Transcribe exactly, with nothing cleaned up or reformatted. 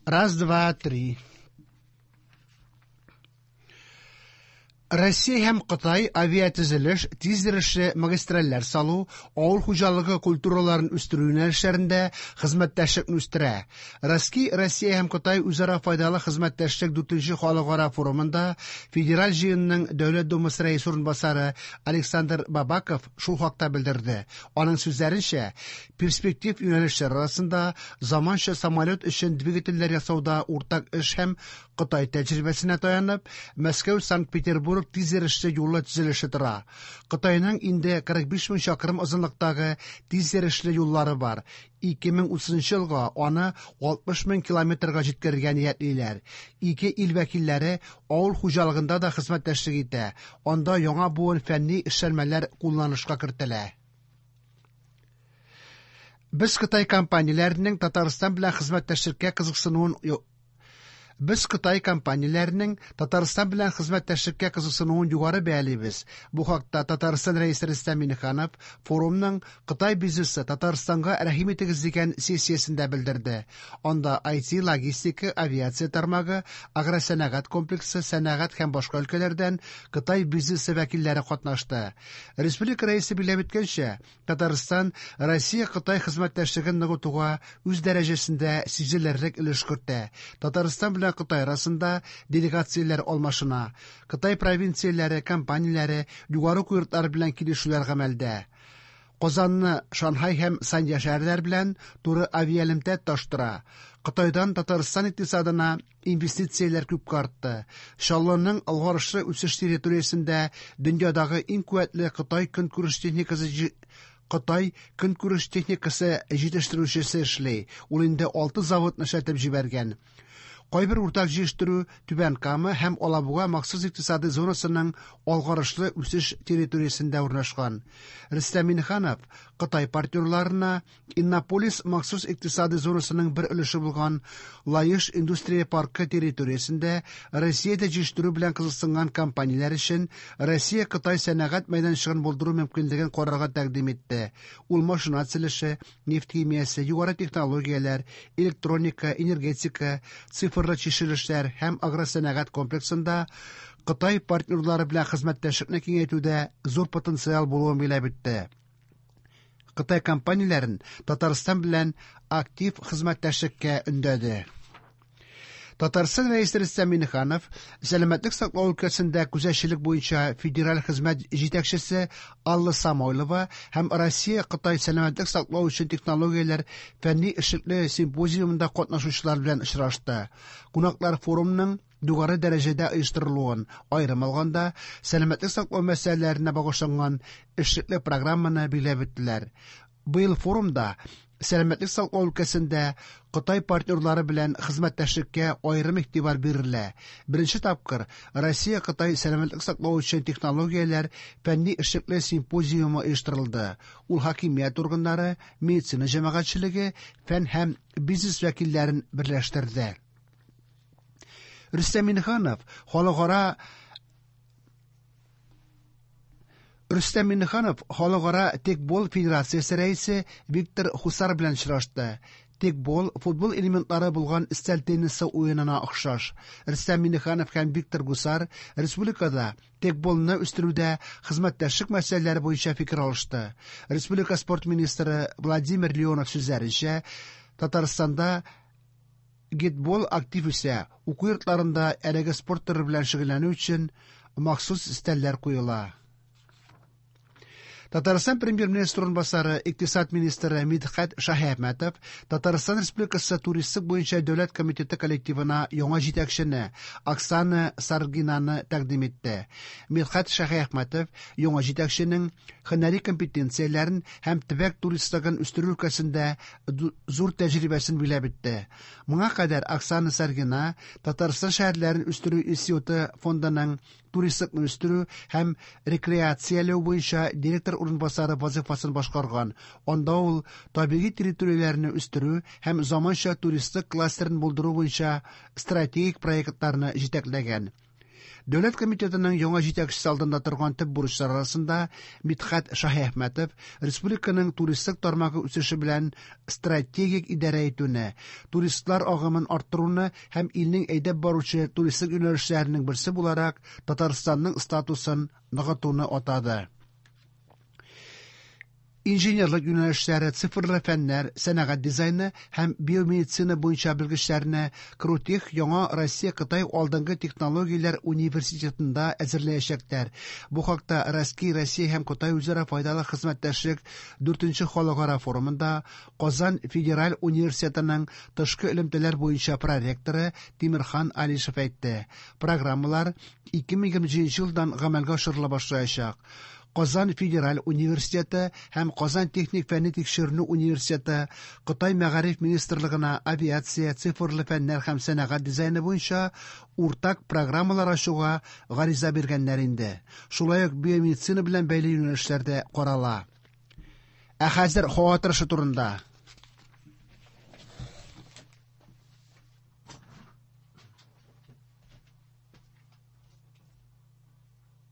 Раз, два, три. Россия һәм Кытай авиатөзелеш, тиз йөрешле магистральләр салу, авыл хуҗалыгы культураларын үстерү юнәлешләрендә хезмәттәшлекне үстерә. Россия, Россия һәм Кытай үзара файдалы хезмәттәшлек дүртенче халыкара форумында Федераль җыенның Дәүләт Думасы рәисе урынбасары Александр Бабаков шул хакта белдерде. Аның сүзләренчә, перспектив юнәлешләр арасында заманча самолет өчен двигательләр ясауда уртак эш һәм Кытай тәҗрибәсенә таянып, Мәскәү Санкт-Петербург тиз йөрешле юлы төзелеше тора. Кытайның инде кырык биш мең чакрым озынлыктагы тиз йөрешле юллары бар. ике мең утызынчы елга аны алтмыш мең километрга җиткерергә ниятлиләр. Ике ил вәкилләре авыл хуҗалыгында да хезмәттәшлек итә. Анда яңа буын фәнни эшләнмәләр кулланышка кертелә. Без Кытай компанияләренең Татарстан белән хезмәттәшлеккә кызыксынуын ю-, Без Кытай компанияләренең Татарстан белән хезмәттәшлеккә кызыксынуын югары бәялибез. Бу хакта Татарстан рәисе Рөстәм Миңнеханов форумның Кытай бизнесы Татарстанга рәхим итегез дигән сессиясендә белдерде. Анда ай ти, логистика, авиация тармагы, агросәнәгать комплексы, сәнәгать һәм башка өлкәләрдән Кытай бизнесы вәкилләре катнашты. Республика рәисе билгеләп үткәнчә, Татарстан Россия-Кытай хезмәттәшлеген ныгытуга үз дәрәҗәсендә сизелерлек өлеш кертә. Татарстан белән Кытай арасында делегацияләр алмашына. Кытай провинцияләре, компанияләре, югары уку йортлары белән килешүләр гамәлдә. Казанны Шанхай һәм Санья шәһәрләре белән туры авиаэлемтә тоташтыра. Кытайдан Татарстан икътисадына инвестицияләр күпкә артты. Чаллының алгарышлы үсеш территориясендә дөньядагы иң куәтле Кытай көнкүреш техникасы җи-, Кытай көнкүреш техникасы җитештерүчесе эшли. Ул инде алты заводны эшләтеп җибәргән. Кайбер уртак җитештерү Түбән Кама һәм Алабуга махсус икътисади зонасының алгарышлы үсеш территориясендә урнашкан. Рөстәм Миңнеханов Кытай партнерларына Иннополис махсус икътисади зонасының бер өлеше булган Лаеш индустрия паркы территориясендә Россиядә җитештерү белән кызыксынган компанияләр өчен Россия-Кытай сәнәгать мәйданчыгын булдыру мөмкинлеген карарга тәкъдим итте. Ул машина төзелеше, нефть химиясе, югары технологияләр, электроника, энергетика, цифр чишелешләр һәм агросәнәгать комплексында Кытай партнерлары белән хезмәттәшлекне киңәйтүдә зур потенциал булуын билгеләп үтте. Кытай компанияләрен Татарстан белән актив хезмәттәшлеккә өндәде. Татарстан рәисе Рөстәм Миңнеханов сәламәтлек саклау өлкәсендә күзәтчелек буенча федераль хезмәт җитәкчесе Алла Самойлова һәм Россия-Кытай сәламәтлек саклау өчен технологияләр фәнни эшлекле симпозиумында катнашучылар белән очрашты. Кунаклар форумның югары дәрәҗәдә оештырылуын, аерым алганда, сәламәтлек саклау мәсьәләләренә багышланган эшлекле программаны билгеләп үттеләр. Быел форумда сәламәтлек саклау өлкәсендә Кытай партнерлары белән хезмәттәшлеккә аерым игътибар бирелә. Беренче тапкыр Россия-Кытай сәламәтлек саклау өчен технологияләр фәнни эшлекле симпозиумы оештырылды. Ул хакимият органнары, медицина җәмәгатьчелеге, фән һәм бизнес вәкилләрен берләштерде. Рөстәм Миңнеханов халыкара Рөстәм Миңнеханов Халыкара текбол федерациясе рәисе Виктор Хусар белән очрашты. Текбол футбол элементлары булган өстәл теннисы уенына охшаш. Рөстәм Миңнеханов һәм Виктор Гусар республикада текболны үстерүдә хезмәттәшлек мәсьәләләре буенча фикер алышты. Республика спорт министры Владимир Леонов сүзләренчә, Татарстанда гетбол актив үсә, уку йортларында әлеге спорт төре белән шөгыльләнү өчен махсус өстәлләр куела. Татарстан премьер-министры урынбасары, икътисад министры Мидхәт Шаһиәхмәтов Татарстан Республикасы туристлык буенча дәүләт комитеты коллективына яңа җитәкчене Оксана Саргинаны тәкъдим итте. Мидхәт Шаһиәхмәтов яңа җитәкченең һөнәри компетенцияләрен һәм төбәк туристлыгын үстерү өлкәсендә ду-, зур тәҗрибәсен билгеләп үтте. Моңа кадәр Оксана Саргина Татарстан шәһәрләрен үстерү институты фондының туристлыкны үстерү һәм рекреацияләү буенча директор урынбасары вазифасын башкарган. Анда ул табигый территорияләрне үстерү һәм заманча туристлык кластерын булдыру буенча стратегик проектларны җитәкләгән. Дәүләт комитетының яңа җитәкчесе алдында торган төп бурычлар арасында Мидхәт Шаһиәхмәтов республиканың туристлык тармагы үсеше белән стратегик идарә итүне, туристлар агымын арттыруны һәм илнең әйдәп баручы туристлык юнәлешләренең берсе буларак Татарстанның статусын ныгытуны атады. Инженерлык юнәлешләре, цифрлы фәннәр, сәнәгать дизайны һәм биомедицина буенча белгечләрне КРУТЕХ яңа Россия-Кытай алдынгы технологияләр университетында әзерләячәкләр. Бу хакта РАСКИ Россия һәм Кытай үзара файдалы хезмәттәшлек дүртенче халыкара форумында Казан федераль университетының тышкы элемтәләр буенча проректоры Тимерхан Алишев әйтте. Программалар ике мең егерме җиденче елдан гамәлгә ашырыла башлаячак. Казан федераль университеты һәм Казан техник фәнни тикшеренү университеты Кытай мәгариф министрлыгына авиация, цифрлы фәннәр һәм сәнәгать дизайны буенча уртак программалар ачуга гариза биргәннәр инде. Шулай ук биомедицина белән бәйле юнәлешләрдә карала. Ә хәзер һава торышы турында.